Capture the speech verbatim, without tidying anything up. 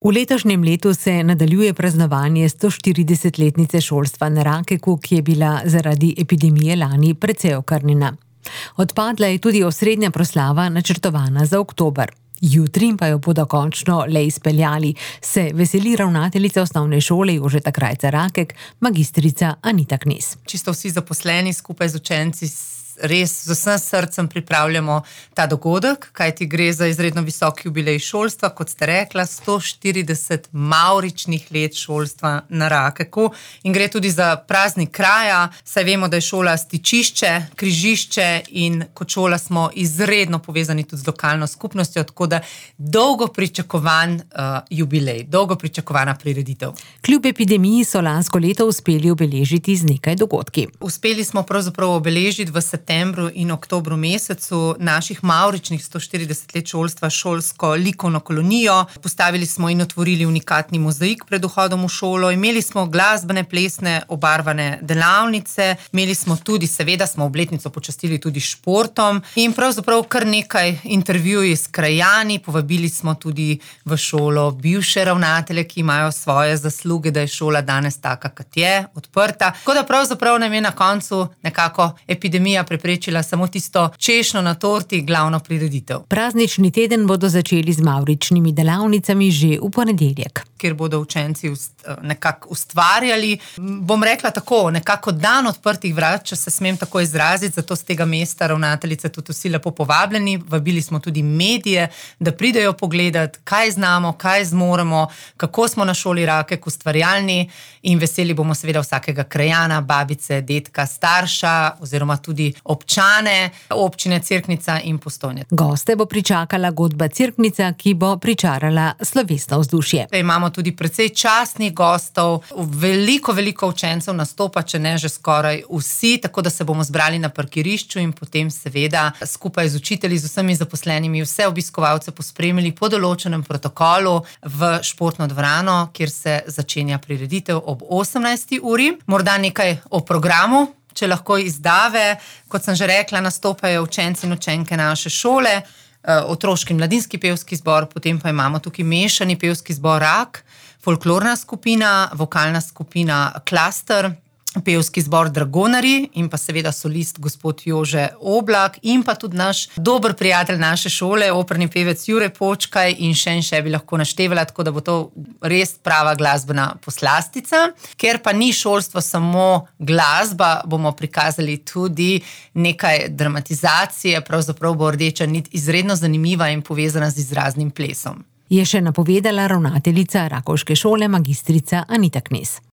V letošnjem letu se nadaljuje praznovanje stoštiridesetletnice šolstva na Rakeku, ki je bila zaradi epidemije lani precej okrnjena. Odpadla je tudi osrednja proslava, načrtovana za oktober. Jutri pa jo bodo končno le izpeljali, se veseli ravnateljica osnovne šole Jožeta Krajcar Rakek, magistrica Anita Knez. Čisto vsi zaposleni skupaj z učenci res z vsem srcem pripravljamo ta dogodek, kajti gre za izredno visok jubilej šolstva, kot ste rekla, sto štirideset mavričnih let šolstva na Rakeku, in gre tudi za praznik kraja, saj vemo, da je šola stičišče, križišče in kot šola smo izredno povezani tudi z lokalno skupnostjo, tako da dolgo pričakovan uh, jubilej, dolgo pričakovana prireditev. Kljub epidemiji so lansko leto uspeli obeležiti z nekaj dogodki. Uspeli smo pravzaprav obeležiti v septembru in oktobru mesecu naših mavričnih sto štirideset let šolstva šolsko likovno kolonijo. Postavili smo in otvorili unikatni mozaik pred vhodom v šolo, imeli smo glasbene, plesne, obarvane delavnice, imeli smo tudi, seveda smo obletnico počastili tudi športom in pravzaprav kar nekaj intervjuji s krajani, povabili smo tudi v šolo bivše ravnatelje, ki imajo svoje zasluge, da je šola danes taka, kot je, odprta. Tako da pravzaprav nam je na koncu nekako epidemija preprečila samo tisto češnjo na torti, glavno prireditev. Praznični teden bodo začeli z mavričnimi delavnicami že v ponedeljek, kjer bodo učenci nekako ustvarjali. Bom rekla tako, nekako dan odprtih vrat, če se smem tako izraziti, zato z tega mesta ravnateljice tudi vsi lepo povabljeni. Vabili smo tudi medije, da pridejo pogledati, kaj znamo, kaj zmoremo, kako smo na šoli Rakek ustvarjalni, in veseli bomo seveda vsakega krajana, babice, dedka, starša oziroma tudi občane občine Cerknica in Postojne. Goste bo pričakala godba Cerknica, ki bo pričarala slovesno vzdušje. Imamo tudi precej častnih gostov, veliko, veliko učencev nastopa, če ne že skoraj vsi, tako da se bomo zbrali na parkirišču in potem seveda skupaj z učitelji, z vsemi zaposlenimi, vse obiskovalce pospremili po določenem protokolu v športno dvorano, kjer se začenja prireditev ob osemnajsti uri. Morda nekaj o programu, če lahko izdave. Kot sem že rekla, nastopajo učenci in učenke naše šole, otroški in mladinski pevski zbor, potem pa imamo tukaj mešani pevski zbor Rak, folklorna skupina, vokalna skupina Klaster, pevski zbor Dragonari in pa seveda solist gospod Jože Oblak in pa tudi naš dober prijatelj naše šole, operni pevec Jure Počkaj, in še in še bi lahko naštevala, tako da bo to res prava glasbena poslastica. Ker pa ni šolstvo samo glasba, bomo prikazali tudi nekaj dramatizacije, pravzaprav bo rdeča nit izredno zanimiva in povezana z izraznim plesom. Je še napovedala ravnateljica rakovške šole magistrica Anita Knez.